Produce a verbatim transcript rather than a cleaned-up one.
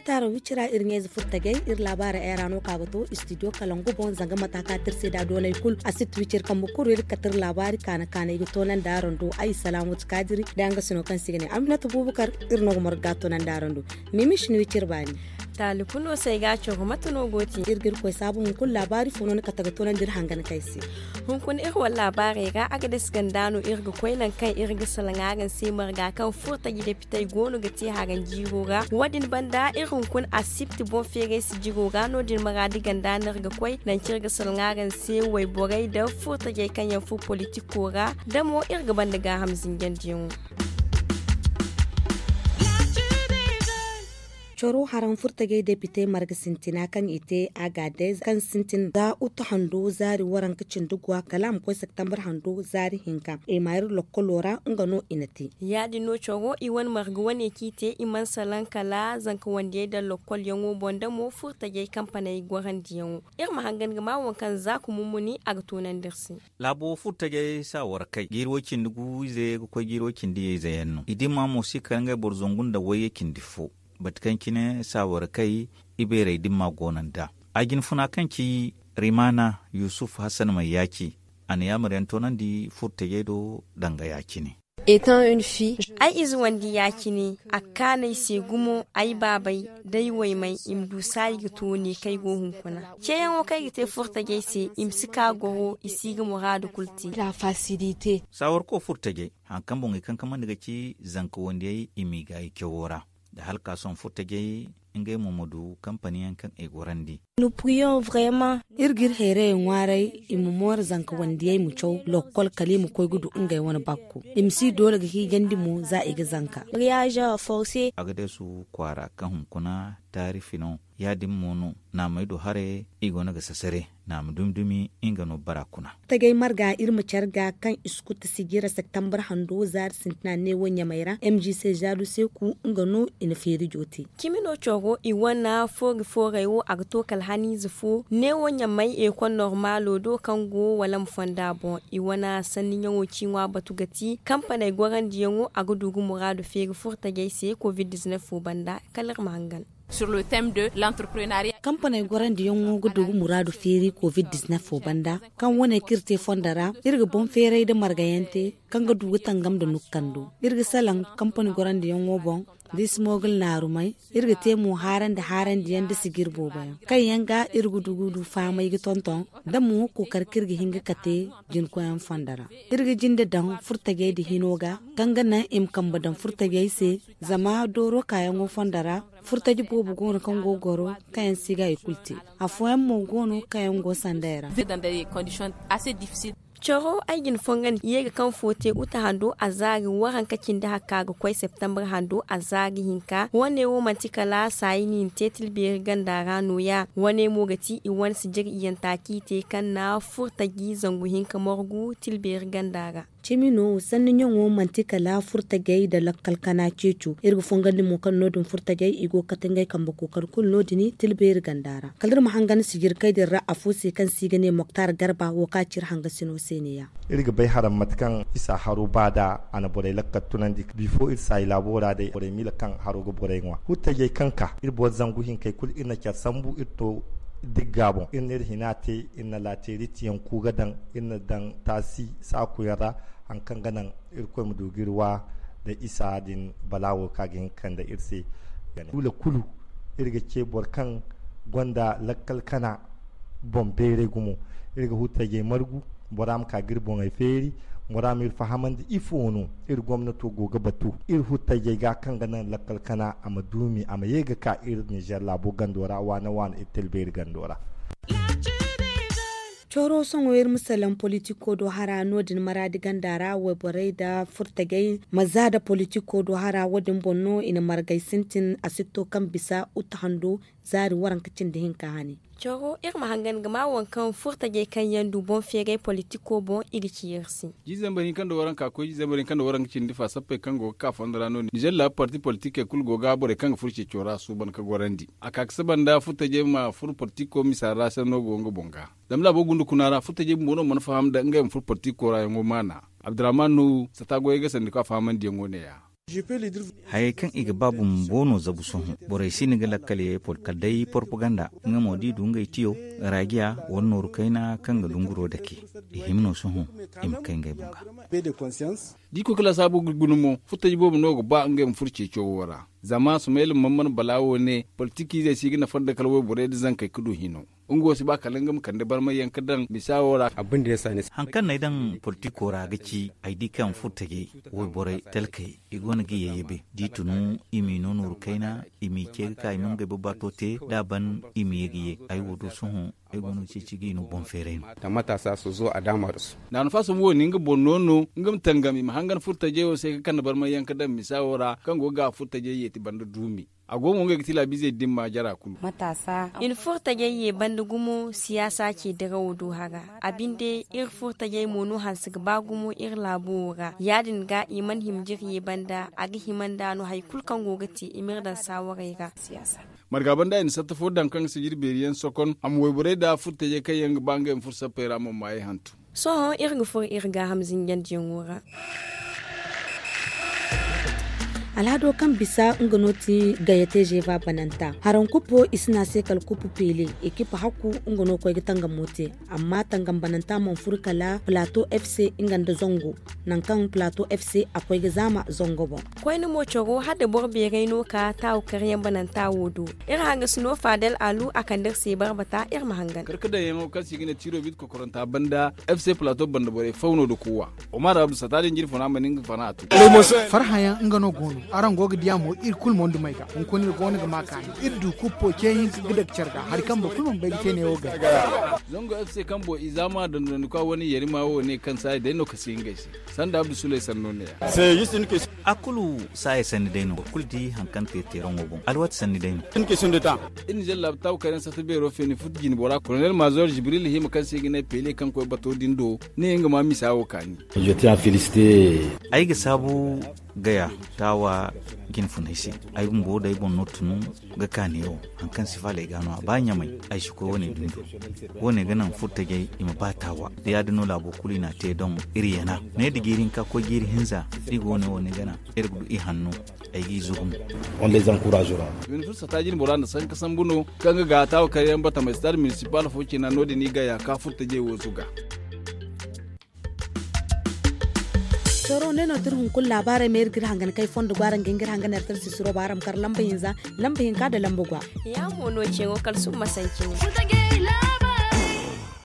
Taaro wicira iri ɲayze furtajey iri laabaara era no ka ga to istidiyo kalangu boŋ zanga mata ka tirse da doonay kulu a si ti wiciri kambe kuru iri ga kate iri laabaari kaana kaana i ga toonandi araŋ do. Ay salaamatu kaadiri da nga sino kaŋ se i ga ne aminatu buubukar. Iri no ga margu ga toonandi araŋ do. Mimi si ni wiciri baani. Taali kulu no se ay ga a coro mate no go ti iri ga iri koy saabu hunkuna laabaari fo no ni kate ga toonandi iri hangan kay se. Hunkuna iri wane laabaarey ra a ga dasi ganda no iri ga koy nangu kaŋ iri ga salaŋ araŋ se marga kaŋ furtaji depitey go no ga te haranjiiro ra wo- din banda iri hunkuna asibti boŋ feeray sijiro ra no- din maraadi ganda no iri ga koy nangu kaŋ iri ga salaŋ araŋ se wayborey nda furtajey kaŋ yaŋ furo politiko ra da mo iri ga banda gaaham zinjandiyaŋo. Coro haraŋ furtajey depite marga sintina kaŋ i te a ga day kaŋ sintin za utu hando zaari waranka cindi guwa kala a ma koy septembar hando zaari hinka i ma iri lokkolo ra nga no i na te. Ya- din no coro i wane marga wane kaŋ i te i mana salaŋ kala zanka wandiyey daŋ lokkolyaŋo boŋ da mo furtajey kampaney gorandiyaŋo. Iri ma hangan ga ma waŋ kaŋ za ka mummuni a ga toonandi iri se. Laabo furtajey saawar kay jiiri way cindi gu ize ga koy jiiri way cindi ize yaŋ no i dimma mo si kala ngey boro zangu nda wayye cindi fo. Bate kaŋ cine saawar kay ibeerey dimma go no nd'a a jinfuna kaŋ ci rimaana yusuf hasan may yaaci a na yaamar yaŋ toonandi furtajey do danga ya- cine. Ay ize wandi ya- cine a ga kaanu ay se gumo ay baabey da ay waymey i ma du saayi ga to ne kaŋ ay go hunkuna ceeyaŋo kaŋ ay ga te furtajey se i ma si ka goro i si ga muraadu kulu te. Saawarko furtajey hari kaŋ boŋey kankamandi ga ci zanka wandiyey i m'i gaayi cawo ra nda hala ka sohõ furtajey ngey mo ma du kampani yaŋ kaŋ i gorandi. Iri ga iri hayray ŋwaaray i ma mooro zanka wandiyey ma caw lokkol kala i ma koy ga du ngey wane bakku i ma si doole ga hiijandi mo za i ga zanka. A ga deesu kwaara kaŋ hunkuna taarifi no ya- din mo no naamey do haray i go no ga sasare naama dumi dumi nga no bara kuna. Furtajey marga iri ma care ga kaŋ i si kutti sijira septembar hando zaari sintina neewo ɲamey ra m g c zaadu seeku nga no i na feeri joote. Cimi no coro i wane foori fooray wo a ga to kala haniize fo neewo ɲamey ekol normaalo do kaŋ go wala ma fonda boŋ i wane sanni ɲaŋo ciiŋwa batu ga ti kampaney gorandiyaŋo a ga du ga muraadu feeri furtajey se covid dizinef fo banda kala iri ma hangan. Kampaney gorandiyaŋo ga du ga muraadu feeri covid dizinef fo banda kaŋ wane kaŋ iri te fondo ra iri ga boŋ feeray nda margayaŋ te kaŋ ga du ga tangam nda nukkando iri ga salaŋ kampani gorandiyaŋo boŋ da i si moogul naarumay iri ga te mo haarandi haarandiyaŋ nda sijir booboyaŋ kaŋ yaŋ ga iri ga du ga du fahamay ga tonton da mo kookari kaŋ iri ga hin ga kate jinkoyaŋ fondo ra iri ga jinde daŋ furtajey nda hino ga kaŋ ga naŋ i ma kambe daŋ furtajey se. Zama dooro kaayaŋo fondo ra furtaji boobo go no kaŋ go ga goro kaŋ yaŋ si ga i kulu te. Afooyaŋ mo go no kaŋ yaŋ go sandey ra. Caro ay ga ni fongandi ye ga kaŋ fo te uta hando a zaari waranka cindi hakka ga koy septembar hando a zaari hinka wane wo manti kala saayi no i na te tilbeeri ganda ra nooya wane mo ga ti i wane sijir iyanta kaŋ i te kaŋ na furtaji zangu hinka margu tilbeeri ganda ra. Cimi no sanni ɲaŋo manti kala furtajey nda lakkal kana ceeco iri ga fongandi mo kaŋ no- din furtajey i go ga kate ngey kambe kookari kulu no- din tilbeeri ganda ra kala iri ma hangan sijirkey din ra afo se kaŋ se i ga ne moktar garba wo kaŋ a ci iri hangasino se ne- ya. Iri ga bay haram mate kaŋ isa haro ba nd'a a na borey lakkal tunandi bifo iri saayi laabo ra day borey miila kaŋ haro ga borey ŋwa furtajey kaŋ ka iri boro zangu hinkey kulu iri na care sambu iri to digga boŋ iri na iri hina te iri na laateeritiyaŋ ku ga daŋ iri na daŋ taasi saakuyaŋ ra. Hari kaŋ ga naŋ irkoy ma du ga iri wa nda isa din balaawo kaŋ a ga hin ga kande iri se. Duula kulu iri ga ce boro kaŋ gonda lakkal kana boŋ beeray gumo iri ga huttajey margu bora ma ka ga iri boŋey feeri bora ma iri fahamandi ifo no iri gomnato go ga batu iri huttajey ga kaŋ ga naŋ lakkal kana a ma duumi a ma ye ga ka iri nizer laabo gando ra waana waana iri talbeeri gando ra. Coro sohõ iri ma salaŋ politiko do hara no- din maraadi ganda ra wayborey nda furtajey ma za nda politiko do hara wo- din boŋ no i na margay sintin a si to kaŋ bisa uta hando zaari waranka cindi hinka hane. Coro iri ma hangan ga ma waŋ kaŋ furtajey kaŋ yaŋ du boŋ feeray politiko boŋ i ga ci iri se. Jiizambar hinka nda waranka koy jiizambar hinka nda waranka cindi fa sappey kaŋ go ga ka fondo ra no- din nizer laabu parti politikey kulu go ga borey kaŋ ga furo ceeco ra suuban ga gorandi a ka ga saba nda furtajey ma furo politiko misa ra sanno go nga boŋ ga. Zama laabo gunda kuna ra furtajey bumbo no mana faham nda ngey ma furo politiko ra yaŋo maana. Abdurrahman nuhu sata goyey ga sandi ka fahamandiyaŋo ne- ya. Hayey kaŋ i ga ba bumbo no zabu sohõ. Borey si ni ga lakkal ye kala day porpaganda nga mo da i du ngey tiyo, raajiya wala nooru kayna kaŋ ga dunguro dake. I hima no sohõ i ma kay ngey boŋ ga. Da i koy ga lasaabu ga guna mo furtaji boobo no ga ba ngey ma furo ceeco wo ra. Zama sumayla man mana bala wo ne politikiizey si ga nafa nda kala wayborey nda zankey ga du hino. Nga wo si ba kala nga ma kande barmay yaŋ ga daŋ misa wo ra. Hari kaŋ no ay daŋ politiko ra ga ci ay di kaŋ furtajey wayborey talkey i go no ga ye yabe da i tunu i m'i no nooru kayna i m'i ce ga ka i ma ngey babbato te da a ban i ma ye ga ye. Ay wo do sohõ ay go no ga ceeci ga i no boŋ feeray no. Naanu faasam wo ni nga boŋ no no nga ma tangam i ma hangan furtajey wo se ga kande barmay yaŋ ga daŋ misa wo ra kaŋ go ga furtajey yeeti banda duumi. A go mo ngey ga ti laabizey dimma jara kulu. I na furtajey ye banda gumo siyaasa ce dirawo do haga. A binde iri furtajey mo no hanse ga ba gumo iri laabo wo ra ya- din ga i mana hima jire ye banda a ga hima nd'a no hari kulu kaŋ go ga te i m'iri daŋ saawarey ra. Marga banda i na satta fo daŋ kaŋ ga sijiri beeri yaŋ sokon a ma wayborey nda furtajey kaŋ yaŋ ga ba ngey ma furo sappey ra mo maayey hantum. Sohõ iri ga furo iri gaaham zinjandiyaŋo ra. Alhado kaŋ bisa nga no ti gayate zeva bananta haraŋ kuppo i si ne a se kala kuppu pele ekipa hakku nga no koy ga tangamo te. Amma tangam bananta mana furo kala plato fc nga nda zango nangu kaŋ plato fc a koy ga zaama zango boŋ. Koyne mo coro hala da boro beeray no ka taawu karyaŋ bananta wo do. Iri hangasino fadel alu a kande iri se barbata iri ma hangan. Karkadayaŋo kaŋ se i ga ne tiro bit kokoranta banda fc plato banda borey faw no da kuuwa. Omar abdu sata din jirfuna ma ni nga fana a tu. Farhayaŋ nga no go no araŋ go ga diya mo iri kulu mo nda may ga hunkuna iri go no ga ma kaani iri du kuppo ce hinka ga daga care ga hari kaŋ boro kulu mana bay ga te neewo gay. Zango fc kaŋ bo i zaama dondonandikwa wane yarima wo ne kaŋ saayi day no kasi ngey se. Sanda abdu suley sanno ne ya. A kulu saaya sanni day no boro kulu di hari kaŋ te teeraŋo boŋ alwaati sanni day no. Iri na zalla taabu kayna sata beero feeni futu jine bora kolonel mazor jibril hima kaŋ se i ga ne pele kaŋ koy bato din do ne nga ma misa wo kaani. Ay ga saabu gaya taawa jinfunay se. Ay bumbo day boŋ no tunu ga kaani wo hari kaŋ si faalay ga no a ba ɲamay. Ay si koy wane dundo wane ga naŋ furtajey i ma ba taawa da ya- din no laabo kulu i n'a te doŋ. Iri yana ne da jiiri hinka koy jiiri hinza da i go wane wane gana iri ga du i hanno. Ay g'i zugu mo. Wani fursa taajin bora nda sanka sambu no kaŋ ga ga taawa karyaŋ bata ma stade municipal fo cina no- din i gaya ka furtajey wo zuga. Coro ne no tira hunkuna laabaarey ma iri ga iri hangan kay fondo go araŋ ga hin ga iri hangan iri tara sisiro ba araŋ ma kar lamba hinza lamba hinka nda lamba gwa. Ya mo no ceeŋo kala summa sanci ne.